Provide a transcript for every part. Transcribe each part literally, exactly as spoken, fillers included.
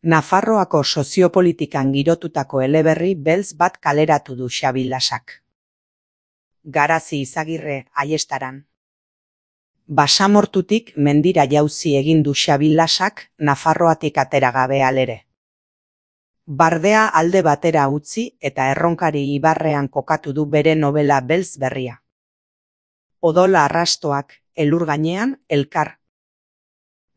Nafarroako soziopolitikan girotutako eleberri beltz bat kaleratu du Xabi Lasak. Garazi Izagirre, Aiestaran. Basamortutik mendira jauzi egin du Xabi Lasak, Nafarroatik atera gabe alere. Bardea alde batera utzi eta Erronkari ibarrean kokatu du bere novela beltz berria. Odola arrastoak, elur gainean, elkar.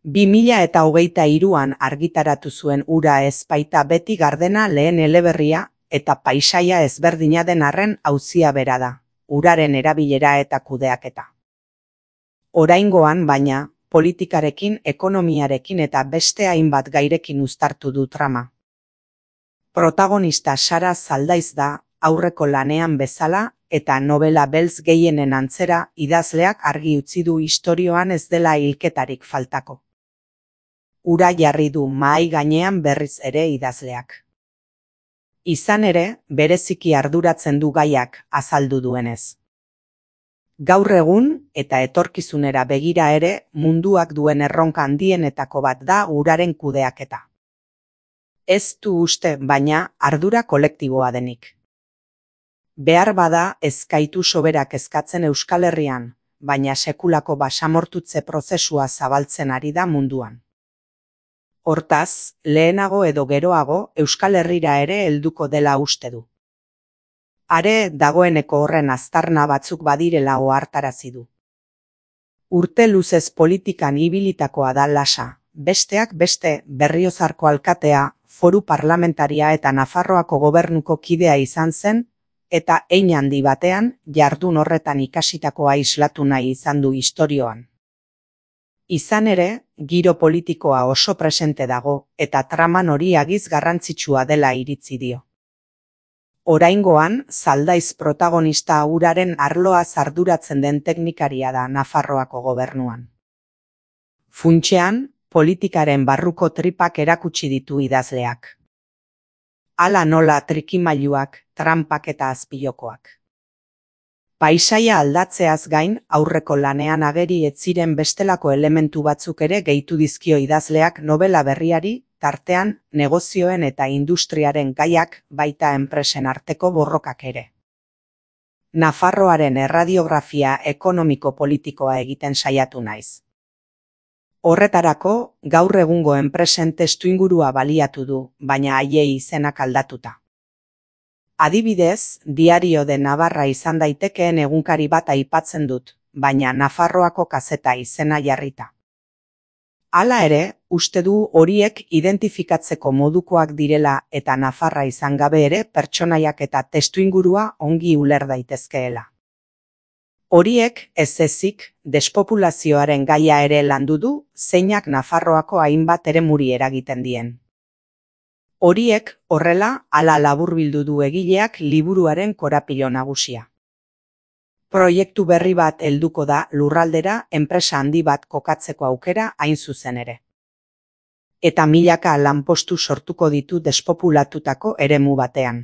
Bi mila eta hogeita hiruan argitaratu zuen Ura ez baita beti gardena lehen eleberria eta paisaia ezberdina den arren auzia bera da, uraren erabilera eta kudeaketa. Oraingoan, baina, politikarekin, ekonomiarekin eta beste hainbat gairekin uztartu du trama. Protagonista Sara Zaldaiz da, aurreko lanean bezala, eta novela beltz gehienen antzera idazleak argi utzi du istorioan ez dela hilketarik faltako. Ura jarri du mahai gainean berriz ere idazleak. Izan ere, bereziki arduratzen du gaiak azaldu duenez. Gaur egun eta etorkizunera begira ere munduak duen erronka handienetako bat da uraren kudeaketa. Ez du uste, baina ardura kolektiboa denik. Behar bada ez gaitu soberak eskatzen Euskal Herrian, baina sekulako basamortutze prozesua zabaltzen ari da munduan. Hortaz, lehenago edo geroago Euskal Herrira ere helduko dela uste du. Are dagoeneko horren aztarna batzuk badirela ohartarazi du. Urte luzez politikan ibilitakoa da Lasa, besteak beste Berriozarko alkatea, foru parlamentaria eta Nafarroako gobernuko kidea izan zen, eta hein handi batean jardun horretan ikasitakoa islatu nahi izan du istorioan. Izan ere, giro politikoa oso presente dago eta traman hori agiz garrantzitsua dela iritzi dio. Oraingoan, Zaldaiz protagonista uraren arloa arduratzen den teknikaria da Nafarroako gobernuan. Funtsean, politikaren barruko tripak erakutsi ditu idazleak. Hala nola trikimailuak, tranpak eta azpilokoak. Paisaia aldatzeaz gain, aurreko lanean ageri ez ziren bestelako elementu batzuk ere gehitu dizkio idazleak novela berriari, tartean negozioen eta industriaren gaiak baita enpresen arteko borrokak ere. Nafarroaren erradiografia ekonomiko-politikoa egiten saiatu naiz. Horretarako, gaur egungo enpresen testuingurua baliatu du, baina haiei izenak aldatuta. Adibidez, Diario de Navarra izan daitekeen egunkari bat aipatzen dut, baina Nafarroako kazeta izena jarrita. Hala ere, uste du horiek identifikatzeko modukoak direla eta Nafarra izan gabe ere pertsonaiak eta testuingurua ongi uler daitezkeela. Horiek ez ezik despopulazioaren gaia ere landu du, zeinak Nafarroako hainbat eremuri eragiten dien. Horiek horrela hala laburbildu du egileak liburuaren korapilo nagusia. Proiektu berri bat helduko da lurraldera enpresa handi bat kokatzeko aukera hain zuzen ere. Eta milaka lanpostu sortuko ditu despopulatutako eremu batean.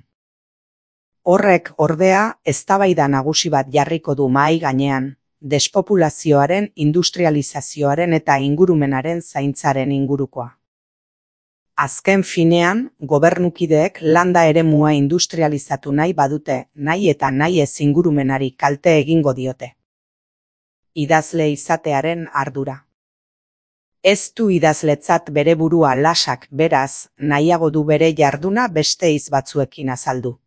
Horrek ordea eztabaida nagusi bat jarriko du mahai gainean, despopulazioaren, industrializazioaren eta ingurumenaren zaintzaren ingurukoa. Azken finean, gobernukideek landa eremua industrializatu nahi badute, nahi eta nahi ez ingurumenari kalte egingo diote. Idazle izatearen ardura. Ez du idazletzat bere burua Lasak, beraz, nahiago du bere jarduna beste hitz batzuekin azaldu.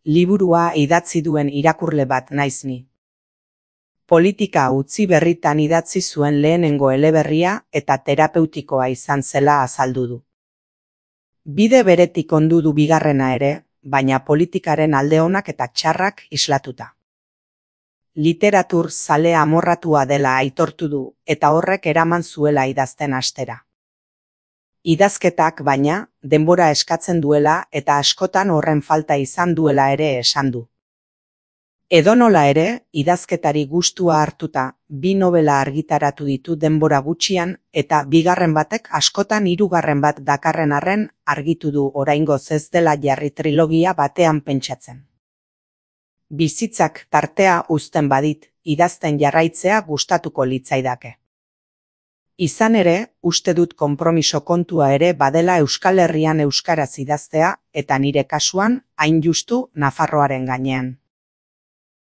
Liburua idatzi duen irakurle bat naiz ni. Politika utzi berritan idatzi zuen lehenengo eleberria eta terapeutikoa izan zela azaldu du. Bide beretik ondu du bigarrena ere, baina politikaren alde onak eta txarrak islatuta. Literatur zale amorratua dela aitortu du eta horrek eraman zuela idazten hastera. Idazketak baina, denbora eskatzen duela eta askotan horren falta izan duela ere esan du. Edonola ere, idazketari gustua hartuta, bi novela argitaratu ditu denbora gutxian eta bigarren batek askotan hirugarren bat dakarren arren argitu du oraingoz ez dela jarri trilogia batean pentsatzen. Bizitzak tartea uzten badit, idazten jarraitzea gustatuko litzaidake. Izan ere, uste dut konpromiso kontua ere badela Euskal Herrian euskaraz idaztea eta nire kasuan hain justu Nafarroaren gainean.